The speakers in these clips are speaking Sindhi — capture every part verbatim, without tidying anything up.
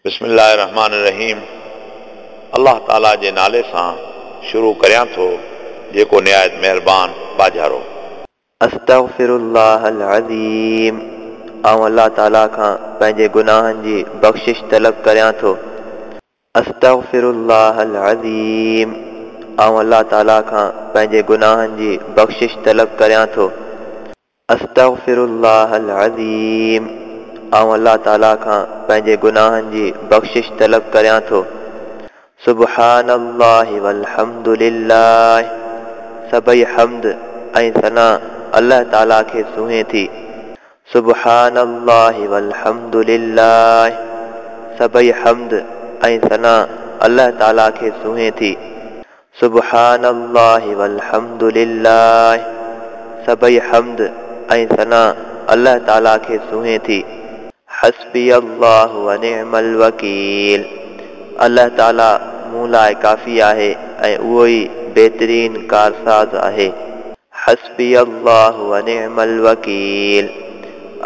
بسم الله الرحمن الرحيم الله تعالى جي نالي سان شروع ڪريان ٿو جيڪو نهايت مهربان ٻاجهارو. أستغفر الله العظيم آئون الله تعالى کان پنهنجي گناهن جي بخشش طلب ڪريان ٿو. أستغفر الله العظيم آئون الله تعالى کان پنهنجي گناهن جي بخشش طلب ڪريان ٿو. أستغفر الله العظيم آئون الله تعالى کان پنهنجي گناهن جي بخشش طلب ڪريان ٿو. سبحان الله والحمد لله سڀئي حمد ۽ ثنا الله تعالى کي سونهي ٿي. سبحان الله والحمد لله سڀئي حمد ۽ ثنا الله تعالى کي سونهي ٿي. سبحان الله والحمد لله سڀئي حمد ۽ ثنا الله تعالى کي سونهي ٿي. حسبي الله ونعم الوڪيل الله تعالى مون لاءِ ڪافي آهي ۽ اهو ئي بهترين ڪارساز آهي. حسبي الله ونعم الوڪيل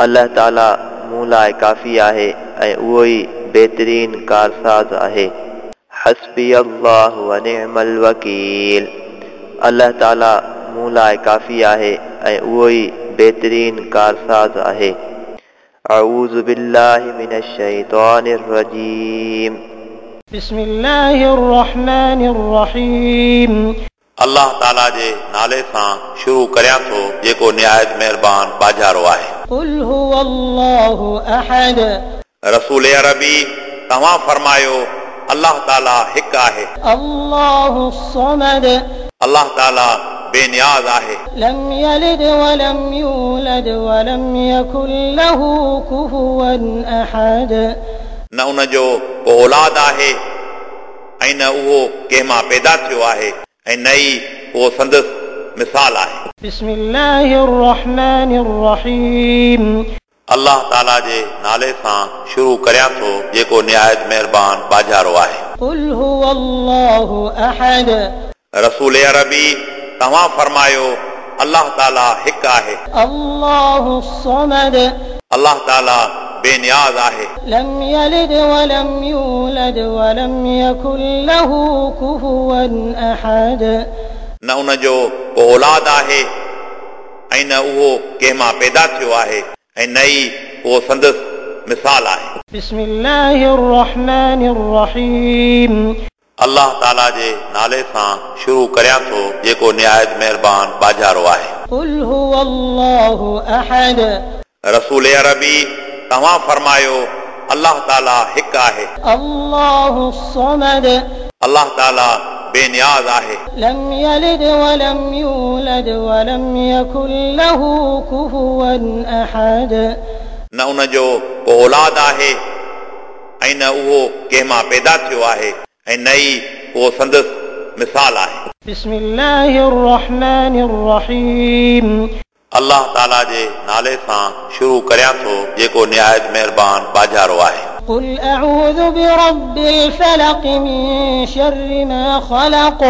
الله تعالى مون لاءِ ڪافي آهي ۽ اهو ئي بهترين ڪارساز آهي. حسبي الله ونعم الوڪيل الله تعالى مون لاءِ ڪافي آهي ۽ اهو ئي بهترين ڪارساز آهي. أعوذ بالله من الشيطان الرجيم. بسم الله الرحمن الرحيم. الله تعالى جي نالي سان شروع ڪريان ٿو جيڪو نهايت مهربان ٻاجهارو آهي. قل هو الله أحد. رسول عربي توهان فرمايو الله تعالى هڪ آهي. الله الصمد. الله تعالى بينياز آهي. لم يلد ولم يولد ولم يكن له كفوا أحد. نه ان جو ڪو اولاد آهي ۽ نه اهو ڪنهن مان پيدا ٿيو آهي ۽ نه ئي اهو سندس مثال آهي. بسم الله الرحمن الرحيم. الله تعالى جي نالي سان شروع ڪريان ٿو جيڪو نهايت مهربان ٻاجهارو آهي. قل هو الله أحد. رسول عربي توهان فرمايو الله تعالى هڪ آهي. الله الصمد. الله تعالى بينياز آهي. لم يلد ولم يولد ولم يكن له كفوا أحد. نه ان جو ڪو اولاد آهي ۽ نه اهو ڪنهن مان پيدا ٿيو آهي ۽ نه ئي اهو سندس مثال آهي. بسم الله الرحمن الرحيم. الله تعالى جي نالي سان شروع ڪريان ٿو جيڪو نهايت مهربان ٻاجهارو آهي. قل هو الله أحد. رسول عربي توهان فرمايو الله تعالى هڪ آهي. الله الصمد. الله تعالى بينياز آهي. لم يلد ولم يولد ولم يكن له كفوا أحد. نه ان جو ڪو اولاد آهي ۽ نه اهو ڪنهن مان پيدا ٿيو آهي ۽ نه ئي اهو سندس مثال آهي. بسم الله الرحمن الرحيم. الله تعالى جي نالي سان شروع ڪريان ٿو جيڪو نهايت مهربان ٻاجهارو آهي. قل أعوذ برب الفلق من شر ما خلق.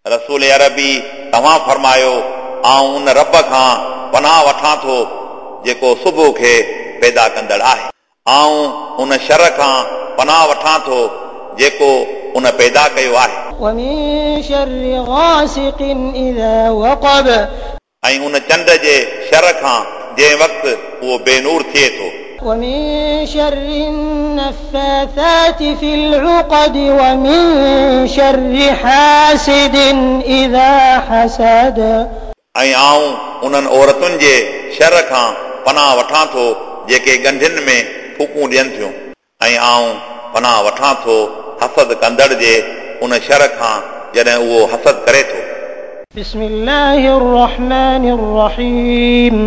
رسول عربي توهان فرمايو آئون ان رب کان پناهه وٺان ٿو جيڪو صبح کي پيدا ڪندڙ آهي. آئون ان شر کان پناهه وٺان ٿو جيڪو ان پيدا ڪيو آهي. ومن شر غاسق إذا وقب. ۽ ان چنڊ جي شر کان جنهن وقت اهو بينور ٿئي ٿو. ومن شر النفاثات في العقد ومن شر حاسد إذا حسد. ۽ آئون انهن عورتن جي شر کان پناهه وٺان ٿو جيڪي ڳنڍين ۾ ڦوڪون ڏين ٿيون. ۽ آئون پناهه وٺان ٿو حسد ڪندڙ جي ان شر کان جڏهن اهو حسد ڪري ٿو. بسم الله الرحمن الرحيم.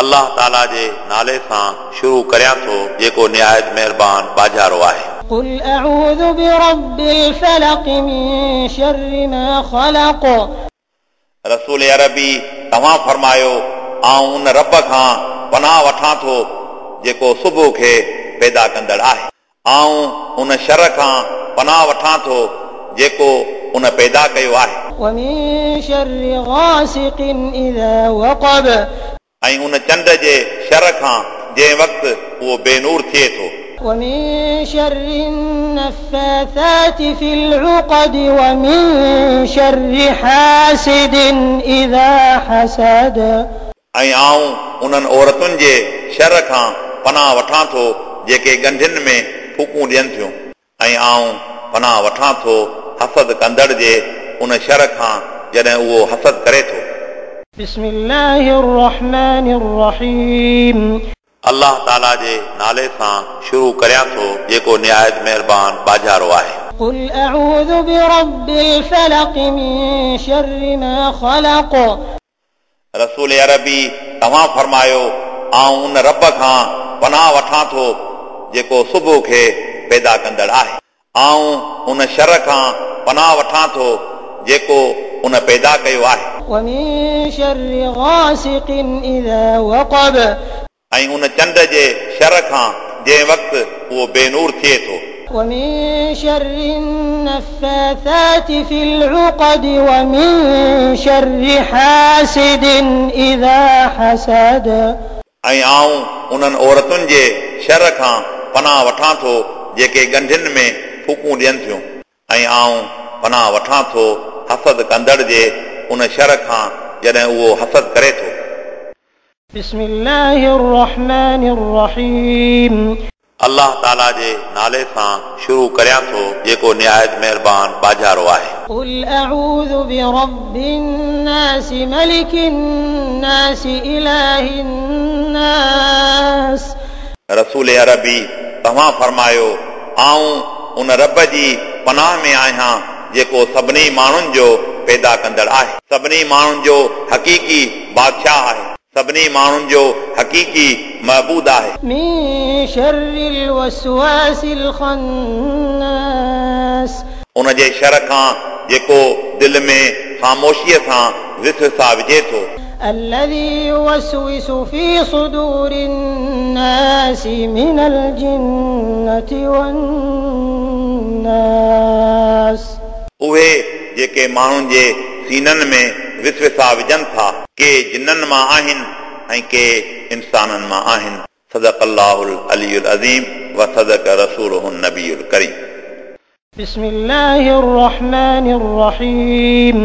الله تعالى جي نالي سان شروع ڪريان ٿو جيڪو نهايت مهربان ٻاجهارو آهي. قل أعوذ برب الفلق من شر ما خلق. رسول عربي توهان فرمايو آئون ان رب کان پناهه وٺان ٿو جيڪو صبح کي پيدا ڪندڙ آهي. آئون ان شر کان پناهه وٺان ٿو جيڪو ان پيدا ڪيو آهي. ومن شر غاسق إذا وقب. ۽ ان چنڊ جي شر کان جنهن وقت اهو بينور ٿئي ٿو. ومن شر النفاثات في العقد ومن شر حاسد إذا حسد. ऐं आऊं उन्हनि औरतुनि जे शर खां पनाह वठां थो जेके ॻंढियुनि में फूकूं ॾियनि थियूं। ऐं आऊं पनाह वठां थो हसद कंदड़ जे उन शर खां जॾहिं उहो हसद करे थो। بسم الله الرحمن الرحيم. अल्लाह ताला जे नाले सां शुरू करियां थो जेको निहायत महिरबान बाजारो आहे। قل أعوذ برب الفلق من شر ما خلق. रसूल अरबी तव्हां फरमायो आऊं उन रब खां पनाह वठां थो जेको सुबुह खे पैदा कंदड़ आहे। आऊं उन शर खां पनाह वठां थो जेको उन पैदा कयो आहे। ومن شر غاسق إذا وقب. ऐं उन चंड जे शर खां जंहिं वक़्तु उहो बेनूर थिए थो। ومن شر النفاثات في العقد ومن شر حاسد إذا حسد. ऐं आऊं उन्हनि औरतुनि जे शर खां पनाह वठां थो जेके ॻंढियुनि में फूकूं ॾियनि थियूं। ऐं आऊं पनाह वठां थो हसद कंदड़ जे उन शर खां जॾहिं उहो हसद करे थो। بسم الله الرحمن الرحيم. अल्लाह ताला जे नाले सां शुरू करियां थो जेको निहायत महिरबान बाजारो आहे। قل أعوذ برب الناس ملك الناس إله الناس. रसूल अरबी तव्हां फरमायो आऊं उन रब जी पनाह में आहियां जेको सभिनी माण्हुनि जो पैदा कंदड़ आहे, सभिनी माण्हुनि जो हक़ीक़ी बादशाह आहे, सभिनी माण्हुनि जो हक़ीक़ी महबूद आहे। من شر الوسواس الخناس. उन जे शर खां जेको दिलि में ख़ामोशीअ सां विसविसा विझे थो। الذي يوسوس في صدور الناس من الجنة والناس. उहे जेके माण्हुनि जे सीननि में विसविसा विझनि था, के जिन्ननि मां आहिनि ऐं के इंसाननि मां आहिनि। सदक़ अल्लाहुल अलीयुल अज़ीम व सदक़ रसूलुहुन नबीयुल करीम। بسم الله الرحمن الرحيم.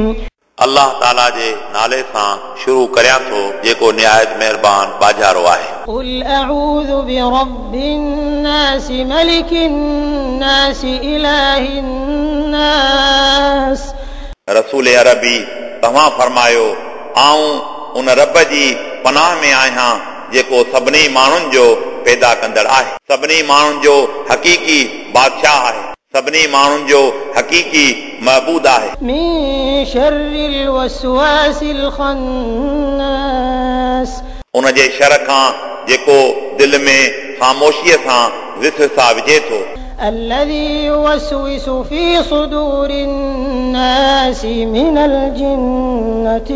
अल्लाह ताला जे नाले सां शुरू करियां थो जेको निहायत महिरबान बाजारो आहे। قل أعوذ برب الناس ملك الناس إله الناس. रसूल अरबी तव्हां फरमायो आऊं उन रब जी पनाह में आहियां जेको सभिनी माण्हुनि जो पैदा कंदड़ आहे, सभिनी माण्हुनि जो हक़ीक़ी बादशाह आहे, सभिनी माण्हुनि जो हक़ीक़ी महबूद आहे। من شر الوسواس الخناس. उन जे शर खां जेको दिलि में ख़ामोशीअ सां विसविसा विझे थो। الذي يوسوس في صدور الناس من الجنة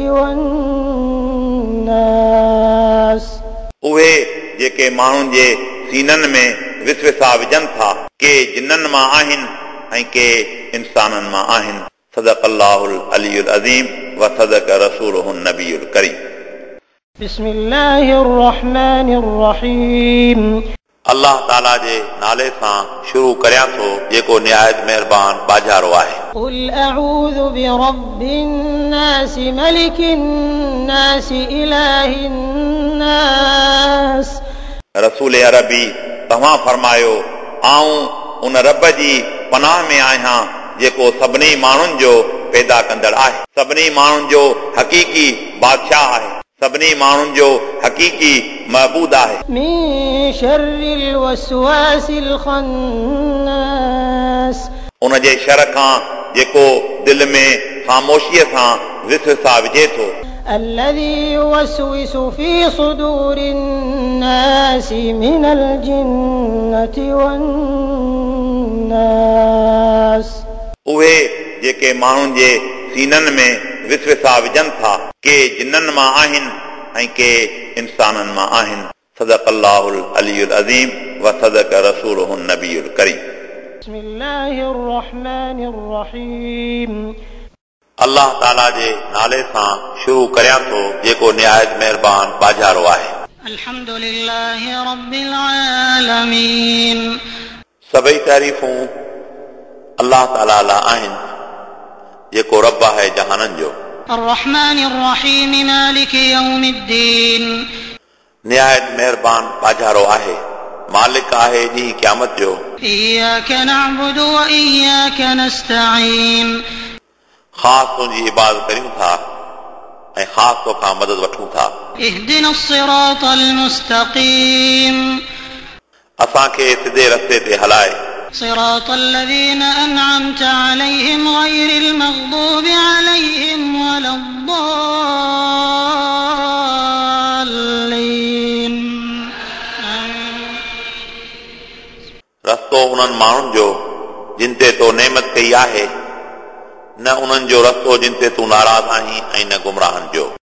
والناس. उहे जेके माण्हुनि जे सीननि में विसविसा विझनि था, के जिन्ननि मां आहिनि ऐं के इंसाननि मां आहिनि। सदक़ अल्लाहुल अलीयुल अज़ीम व सदक़ रसूलुहुन नबीयुल करीम। بسم الله الرحمن الرحيم. अल्लाह ताला जे नाले सां शुरू करियां थो जेको निहायत महिरबान बाजारो आहे। قل أعوذ برب الناس ملك الناس إله الناس. रसूल अरबी तव्हां फरमायो आऊं उन रब जी पनाह में आहियां जेको सभिनी माण्हुनि जो पैदा कंदड़ आहे, सभिनी माण्हुनि जो हक़ीक़ी बादशाह आहे, सभिनी माण्हुनि जो हक़ीक़ी महबूद आहे। من شر الوسواس الخناس. उन जे शर खां जेको दिलि में ख़ामोशीअ सां विसविसा विझे थो। الذي يوسوس في صدور الناس من الجنة والناس. उहे जेके माण्हुनि जे सीननि में विसविसा विझनि था, के जिन्ननि मां आहिनि ऐं के इंसाननि मां आहिनि। सदक़ अल्लाहुल अलीयुल अज़ीम व सदक़ रसूलुहुन नबीयुल करीम। بسم الله الرحمن الرحيم. अल्लाह ताला जे नाले सां शुरू करियां थो जेको निहायत महिरबान बाजारो आहे। الحمد لله رب العالمين. सभई तारीफ़ूं अल्लाह ताला लाइ आहिनि जेको रब आहे जहाननि जो। الرحمن الرحيم مالك يوم الدين. निहायत महिरबान बाजारो आहे, मालिक आहे ॾींहुं क़यामत जो। إياك نعبد وإياك نستعين. ख़ासि तुंहिंजी इबादत करियूं था ऐं ख़ासि तोखां मदद वठूं था। اهدنا الصراط المستقيم. असांखे सिधे रस्ते ते हलाए। صراط الذين أنعمت عليهم غير المغضوب عليهم ولا الضالين. रस्तो उन्हनि माण्हुनि जो जिन ते तो नेमत कई आहे, न उन्हनि जो रस्तो जिन ते तूं नाराज़ आहीं ऐं न गुमराहनि जो।